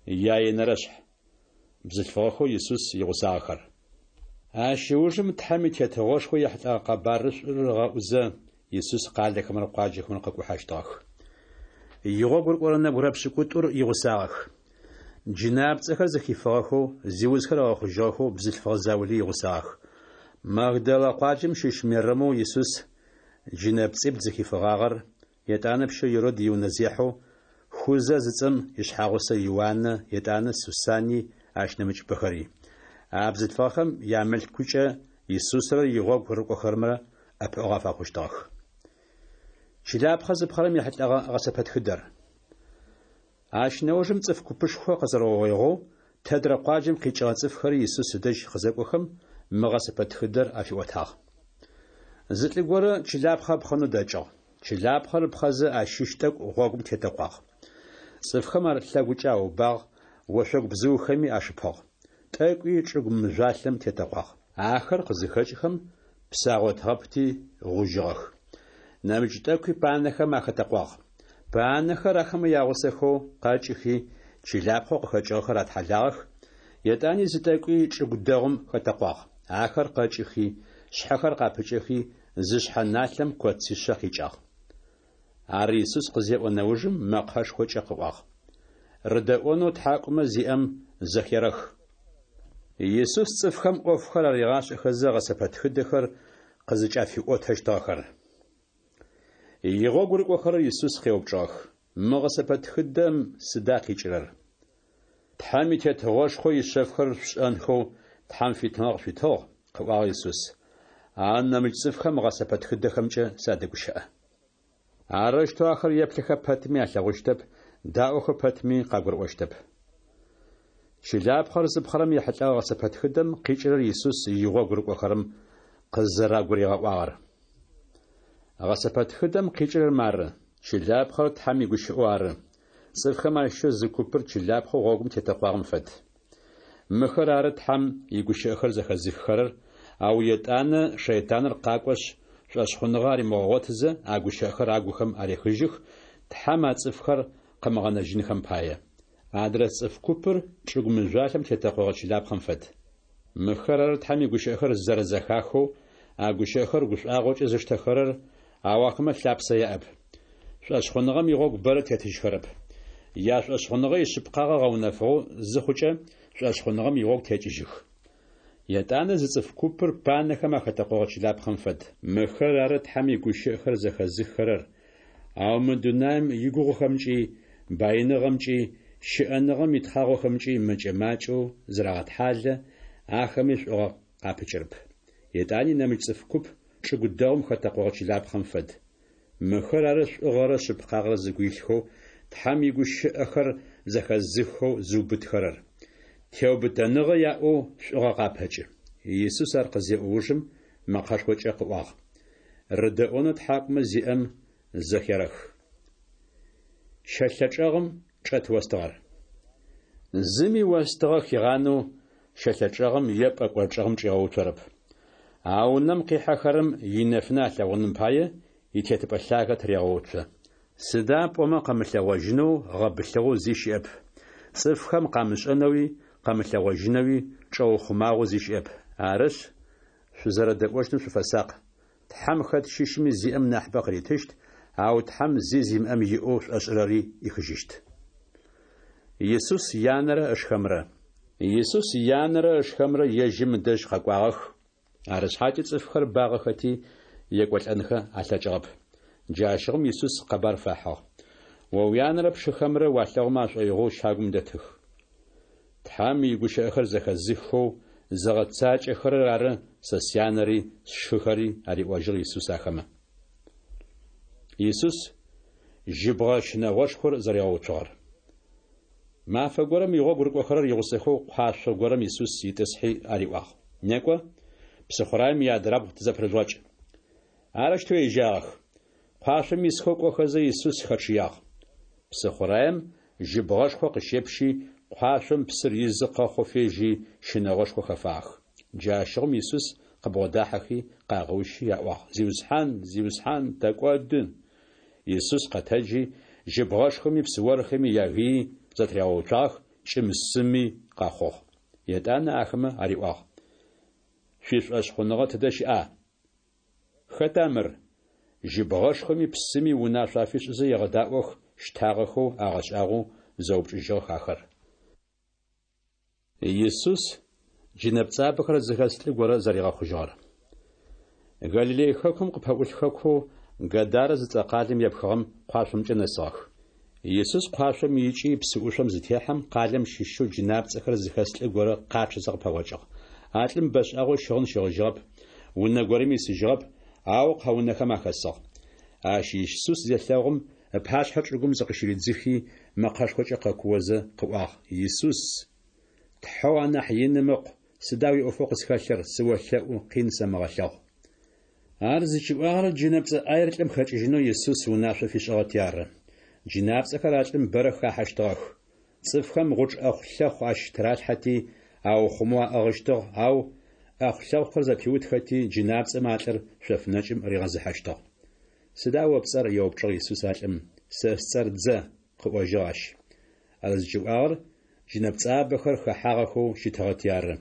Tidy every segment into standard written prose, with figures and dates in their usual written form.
Яенэрэшъхь. Бзылъфыгъэхэу Исус игъусагъэхэр. Ащ ыужым Тхьэм и Тетыгъошхо ехьылӏэгъэ къэбарышӏур ыгъэӏузэ, Исус къалэхэмрэ къуаджэхэмрэ къыкӏухьэщтыгъэх. Игъогу рыкӏорэ нэбгырэ пшӏыкӏутӏур игъусагъэх. Джынапцӏэхэр зыхифыгъэхэу, зиузхэр ыгъэхъужьыгъэхэу бзылъфыгъэ заули игъусагъэх. Магдалэ къуаджэм щыщ Мерэмэу Исус джынэпцӏибл зыхифыгъагъэр, етӏанэ пщэу Ирод иунэзехьэу Хузэ зыцӏэм ишъхьагъусэ Иуаннэ, етӏанэ Сусанни, ащ нэмыкӏыбэхэри. А бзылъфыгъэхэм ямылъкукӏэ Исусрэ игъогу рыкӏохэрэмрэ ӏэпыӏэгъу афэхъущтыгъэх. Чылапхъэ зыпхъэрэм ехьылӏэгъэ гъэсэпэтхыдэр. Ащ нэужым цӏыф купышхо къэзэрэугъоигъэу, тэдрэ къуаджэм къикӏыгъэ цӏыфхэри Исус ыдэжь къызэкӏохэм, мы гъэсэпэтхыдэр афиӏотагъ. Зы лӏы горэ чылапхъэ ыпхъэнэу дэкӏыгъ. Чылапхъэр ыпхъэзэ ащыщ тӏэкӏу гъогум тетэкъуагъ. Цӏыфхэм ар лъэгукӏэ аубагъ, ошъогу бзыухэми ашыпыгъ. Тӏэкӏуи чӏыгу мыжъуалъэм тетэкъуагъ. Ахэр къызыхэкӏхэм, псы агъотыгъэпти, гъужьыгъэх. Нэмыкӏ тӏэкӏуи панэхэм ахэтэкъуагъ. Панэхэр ахэмэ ягъусэхэу къэкӏыхи, чылапхъэу къыхэкӏыгъэхэр атхьалагъэх, етӏани зы тӏэкӏуи чӏыгу дэгъум хэтэкъуагъ. Ахэр къэкӏыхи, шъхьэхэр къапыкӏэхи, зы шъхьэ налъэм коцишъэ къикӏагъ. Ар Исус къызеӏо нэужым мэкъэшхокӏэ къыӏуагъ. Рыдэӏонэу тхьакӏумэ зиӏэм зэхерэх. Исус цӏыфхэм ӏофхэр аригъашӏэхэзэ гъэсэпэтхыдэхэр къызыкӏафиӏотэщтыгъэхэр. Игъогу рыкӏохэрэр Исус къеупчӏыгъэх, Мы гъэсэпэтхыдэм сыда къикӏырэр? Тхьэм и Тетыгъошхо ишъэфхэр шъушӏэнхэу Тхьэм фитыныгъэ къышъуитыгъ, къыӏуагъ Исус. Ау нэмыкӏ цӏыфхэм гъэсэпэтхыдэхэмкӏэ садэгущыӏэ. Арэущтэу ахэр еплъыхэ пэтми алъэгъущтэп, даӏохэ пэтми къагурыӏощтэп. Чылапхъэр зыпхъэрэм ехьылӏэгъэ гъэсэпэтхыдэм къикӏырэр Исус игъогу рыкӏохэрэм къызэрагуригъэӏуагъэр. Гъэсэпэтхыдэм къикӏырэр мары, чылапхъэр Тхьэм игущыӏэу ары. Цӏыфхэм ащыщэу зы купыр чылапхъэу гъогум тетэкъуагъэм фэд. Мыхэр ары Тхьэм игущыӏэхэр зэхэзыххэрэр, ау етӏанэ шэйтаныр къакӏошъ, шӏошъхъуныгъэ аримыгъэгъотызэ, а гущыӏэхэр агухэм арехыжьых, Тхьэм а цӏыфхэр къымыгъэнэжьынхэм пае. Адрэ цӏыф купыр чӏыгу мыжъуалъэм тетэкъогъэ чылапхъэм фэд. Мыхэр ары Тхьэм игущыӏэхэр зэрэзэхахэу, а гущыӏэхэр гушӏуагъокӏэ зыштэхэрэр, ау ахэмэ лъапсэ яӏэп. Шӏошъхъуныгъэм игъогу бэрэ тетыжьхэрэп. Яшӏошъхъуныгъэ ишъыпкъагъэ гъэунэфыгъэу зыхъукӏэ, шӏошъхъуныгъэм игъогу текӏыжьых. Етӏанэ зы цӏыф купыр панэхэм ахэтэкъогъэ чылапхъэм фэд. Мыхэр ары Тхьэм игущыӏэхэр зэхэзыххэрэр, ау мы дунаим игугъухэмкӏи, баиныгъэмкӏи, щыӏэныгъэм итхъагъохэмкӏи мэкӏэ-макӏэу зырагъэтхьалэ, ахэми шӏугъэ къапыкӏырэп. Етӏани нэмыкӏ цӏыф куп чӏыгу дэгъум хэтэкъогъэ чылапхъэм фэд. Мыхэр ары шӏугъэрэ шъыпкъагъэрэ зыгу илъхэу, Тхьэм игущыӏэхэр зэхэзыххэу зыубытхэрэр. Теубытэныгъэ яӏэу шӏугъэ къапэкӏы. Исус ар къызеӏо ужым мэкъэшхокӏэ къыӏуагъ. Рыдэӏонэу тхьакӏумэ зиӏэм зэхерэх. Щэлъэ чӏэгъым чӏэт остыгъэр. Зыми остыгъэ хигъанэу щэлъэ чӏэгъым е пӏэкӏор чӏэгъым чӏигъэуцорэп. А унэм къихьэхэрэм инэфынэ алъэгъуным пае итетыпӏэ лъагэ тырегъэуцо. Сыда пӏомэ къэмылъэгъожьынэу гъэбылъыгъэу зи щыӏэп. Цӏыфхэм къамышӏэнэуи къэмылъэгъожьынэуи чӏэухъумагъэу зи щыӏэп. Арышъ, шъузэрэдэӏощтым шъуфэсакъ. Тхьэм хэт щыщми зиӏэм нахьыбэ къыритыщт, ау Тхьэм зи зимыӏэм иӏэу шӏошӏырэри ӏихыжьыщт. Исус янэрэ ышхэмрэ. Исус янэрэ ышхэмрэ ежьым ыдэжь къэкӏуагъэх, арышъхьакӏэ цӏыфхэр багъэхэти, екӏолӏэнхэ алъэкӏыгъэп. Джащыгъум Исус къэбар фахьыгъ. О уянэрэ пшыхэмрэ уалъэгъумэ ашӏоигъоу щагум дэтых. Тхьэм игущыӏэхэр зэхэзыххэу зыгъэцакӏэхэрэр ары сэ сянэри сшыхэри, ариӏожьыгъ Исус ахэмэ. Исус жьыбгъэ щынэгъошхор зэригъэуцугъэр. Мафэ горэм игъогу рыкӏохэрэр игъусэхэу къуашъо горэм Исус итӏысхьи ариӏуагъ, Некӏо, псыхъураем иадрабгъу тызэпырыжъугъэкӏ. Арэущтэу ежьагъэх. Къуашъом исхэу кӏохэзэ Исус хэчъыягъ. Псыхъураем жьыбгъэшхо къыщепщи, къуашъом псыр изы къэхъоу фежьи, щынэгъошхо хэфагъэх. Джащыгъум Исус къыбгъодахьэхи, къагъэущи аӏуагъ, Зиусхьан, Зиусхьан, тэкӏоды! Исус къэтэджи, жьыбгъэшхоми псыорхэми ягыий зэтыригъэуцуагъэх, кӏым-сыми къэхъугъ. Етӏанэ ахэмэ ариӏуагъ, Шъуишӏошъхъуныгъэ тыдэ щыӏа? Хэта мыр? Жьыбгъэшхоми псыми унашъо афишӏызэ егъэдаӏох, щтагъэхэу, агъэшӏагъоу зэупчӏыжьыгъэх ахэр. Исус джынэпцӏабэхэр зыхэс лӏы горэ зэригъэхъужьыгъэр. Галилей хэкум къыпэӏулъ хэкоу Гадарэ зыцӏэ къалэм епхыгъэм къуашъомкӏэ нэсыгъэх. Исус къуашъом икӏи псыӏушъом зытехьэм, къалэм щыщэу джынапцӏэхэр зыхэс лӏы горэ къачъэзэ къыпэгъокӏыгъ. А лӏым бэшӏагъэу щыгъын щыгъыжьыгъэп, унэ горэми исыжьыгъэп, ау къэунэхэм ахэсыгъ. Ащ Исус зелъэгъум, ыпашъхьэ чӏыгум зыкъыщыридзыхи, мэкъэшхокӏэ къэкуозэ къыӏуагъ, Исус, Тхьэу анахь иным Ыкъу, сыда уиӏофэу къысхэлъыр, сыолъэӏу, къин сэмыгъэлъэгъу. Ар зыкӏиӏуагъэр джынэпцӏэ ӏаер лӏым хэкӏыжьынэу Исус унашъо фишӏыгъэти ары. Джынапцӏэхэр а лӏым бэрэ хахьэщтыгъэх. Цӏыфхэм гъучӏ ӏэхъу-лъэхъу ащ тыралъхьэти, аухъумэу аӏыгъыщтыгъ, ау ӏэхъу-лъэхъухэр зэпиутхэти, джынапцӏэмэ а лӏыр шъоф нэкӏым ригъэзыхьэщтыгъ. Сыда о пцӏэр? еупчӏыгъ Исус а лӏым. Сэ сцӏэр Дзэ, къыӏожьыгъ ащ. Ар зыкӏиӏуагъэр джынэпцӏабэхэр хэхьагъэхэу щытыгъэти ары.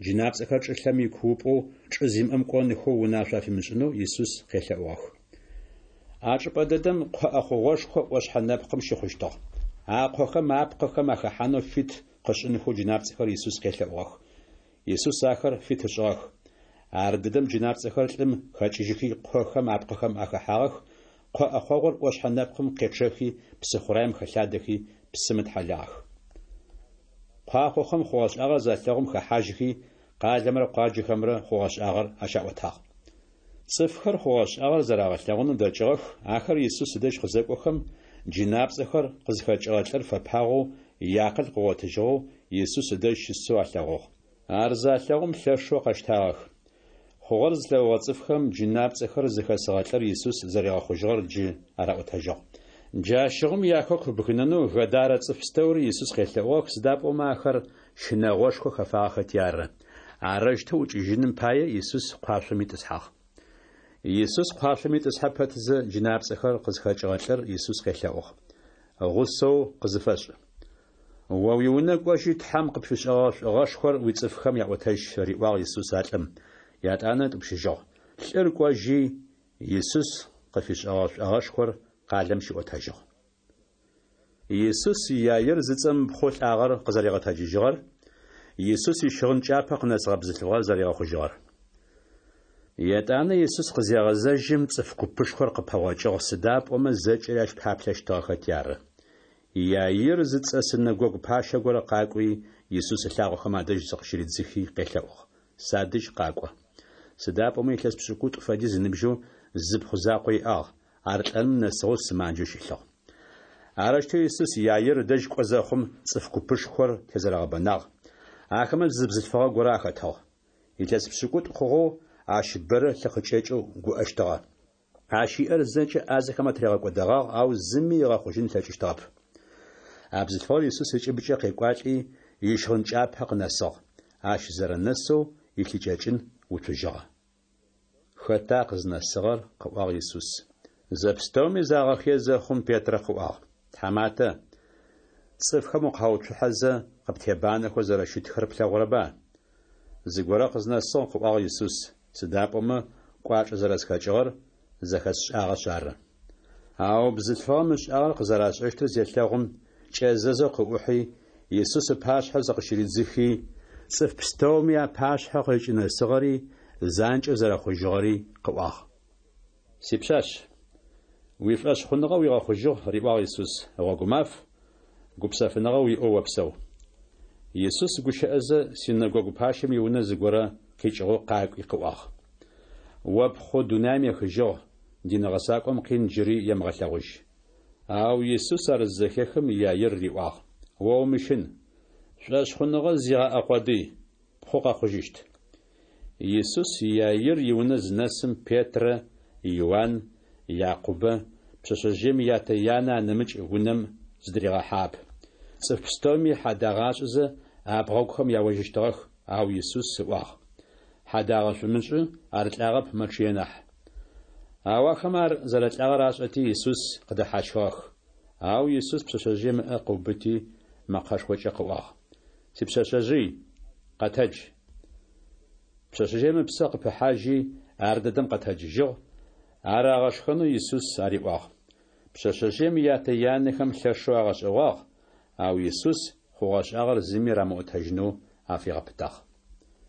Джынапцӏэхэр чӏылъэм икуупӏэу чӏы зимыӏэм кӏонхэу унашъо афимышӏынэу Исус къелъэӏугъэх. А чӏыпӏэ дэдэм къо ӏэхъогъошхо ӏошъхьэ нэпкъым щыхъущтыгъ. А къохэм апкъыхэм ахэхьанэу фит къышӏынхэу джынапцӏэхэр Исус къелъэӏугъэх. Исус ахэр фит ышӏыгъэх. Ардэдэм джынапцӏэхэр лӏым хэкӏыжьыхи къохэм апкъыхэм ахэхьагъэх, къо ӏэхъогъур ӏошъхьэ нэпкъым къечъэхи псыхъураем хэлъадэхи псым ытхьалагъэх. Куахъохэм хъугъэ-шӏагъэр залъэгъум хэхьажьхи, къалэмрэ къуаджэхэмрэ хъугъэ-шӏагъэр ащаӏотагъ. Цӏыфхэр хъугъэ-шӏагъэр зэрагъэлъэгъунэу дэкӏыгъэх, ахэр Исус ыдэжь къызэкӏохэм, джынапцӏэхэр къызхэкӏыгъэ лӏыр фэпагъэу, иакъыл къыгъотыжьыгъэу Исус ыдэжь щысэу алъэгъугъ. Ар залъэгъум лъэшэу къэщтагъэх. Хъугъэр зылъэгъугъэ цӏыфхэм джынапцӏэхэр зыхэсыгъэ лӏыр Исус зэригъэхъужьыгъэр джы араӏотэжьыгъ. Джащыгъум яхэку ыбгынэнэу Гадарэ цӏыф пстэури Исус къелъэӏугъэх, сыда пӏомэ ахэр щынэгъошхо хэфагъэхэти ары. Арэущтэу ӏукӏыжьыным пае Исус къуашъом итӏысхьагъ. Исус къуашъом итӏысхьэ пэтзэ, джынапцӏэхэр къызхэкӏыгъэ лӏыр Исус къелъэӏугъ. Гъусэу къызыфэшӏ. О уиунэ кӏожьи, Тхьэм къыпфишӏэгъэ шӏугъэшхор уицӏыфхэм яӏотэжь, риӏуагъ Исус а лӏым. Ятӏанэ ытӏупщыжьыгъ. Лӏыр кӏожьи, Исус къыфишӏэгъэ шӏогъэшхор къалэм щиӏотэжьыгъ. Исус Иаир зыцӏэм ыпхъоу лӏагъэр къызэригъэтэджыжьыгъэр, Исус ищыгъын кӏапэ къынэсыгъэ бзылъфыгъэр зэригъэхъужьыгъэр. Етӏанэ Исус къызегъэзэжьым, цӏыф купышхор къыпэгъокӏыгъ, сыда пӏомэ зэкӏэри ащ паплъэщтыгъэхэти ары. Иаир зыцӏэ синэгогу пащэ горэ къакӏуи, Исус ылъакъохэм адэжь зыкъыщыридзыхи къелъэӏугъ, Садэжь къакӏо. Сыда пӏомэ илъэс пшӏыкӏутӏу фэдиз ыныбжьэу зы пхъу закъо иӏагъ, ар лӏэным нэсыгъэу сымаджэу щылъыгъ. Арэущтэу Исус Иаир ыдэжь кӏо зэхъум, цӏыф купышхор тезэрэгъэбэнагъ. Ахэмэ зы бзылъфыгъэ горэ ахэтыгъ. Илъэс пшӏыкӏутӏу хъугъэу ащ бэрэ лъы къыкӏэкӏэу гуӏэщтыгъэ. Ащ иӏэр зэкӏэ ӏазэхэм атыригъэкӏодэгъагъ, ау зыми ыгъэхъужьын ылъэкӏыщтыгъэп. А бзылъфыгъэр Исус ыкӏыбыкӏэ къекӏуалӏи, ищыгъын кӏапэ къынэсыгъ. Ащ зэрэнэсэу илъыкӏэкӏын уцужьыгъэ. Хэта къызнэсыгъэр? къыӏуагъ Исус. Зэпстэуми загъэхые зэхъум, Петрэ къыӏуагъ, Тхьаматэ, цӏыфхэм укъауцухьэзэ, къыптебанэхэу зэрэщытхэр плъэгъурэба? Зыгорэ къызнэсыгъ, къыӏуагъ Исус, сыда пӏомэ кӏуачӏэ зэрэсхэкӏыгъэр зэхэсшӏагъэшъ ары. Ау бзылъфыгъэм ышӏагъэр къызэрашӏэщтыр зелъэгъум, кӏэзэзэу къыӏухьи, Исус ыпашъхьэ зыкъыщыридзыхи, цӏыф пстэуми апашъхьэ къызкӏынэсыгъэри, занкӏэу зэрэхъужьыгъэри къыӏуагъ. Сипшъашъ, уишӏошъхъуныгъэ уигъэхъужьыгъ, риӏуагъ Исус, гъогумаф, гупсэфыныгъэ уиӏэу опсэу. Исус гущыӏэзэ, синэгогу пащэм иунэ зыгорэ къикӏыгъэу къакӏуи къыӏуагъ. О пхъу дунаим ехыжьыгъ, дин гъэсакӏом къин джыри емыгъэлъэгъужь. Ау Исус ар зызэхехым, Иаир риӏуагъ, О умыщын, шӏошъхъуныгъэ зигъэӏэ къодый, ппхъу къэхъужьыщт. Исус Иаир иунэ зынэсым, Петрэ, Иуан, Якъубэ, пшъэшъэжъыем ятэ-янэ анэмыкӏ унэм зыдыригъэхьагъэп. Цӏыф пстэуми хьадагъэ ашӏызэ, абгъэгухэм яожьыщтыгъэх, ау Исус ыӏуагъ, Хьадагъэ шъумышӏы, ар лӏагъэп, мэчъые нахь. Ау ахэмэ ар зэрэлӏагъэр ашӏэти, Исус къыдэхьащхыгъэх. Ау Исус пшъэшъэжъыем ыӏэ къыубыти, мэкъэшхокӏэ къыӏуагъ, Сипшъэшъэжъый, къэтэдж! Пшъэшъэжъыем ыпсэ къыпыхьажьи, ардэдэм къэтэджыжьыгъ, ар агъэшхэнэу Исус ариӏуагъ. Пшъэшъэжъыем ятэ-янэхэм лъэшэу агъэшӏэгъуагъ, ау Исус хъугъэшӏагъэр зыми рамыӏотэжьынэу афигъэпытагъ.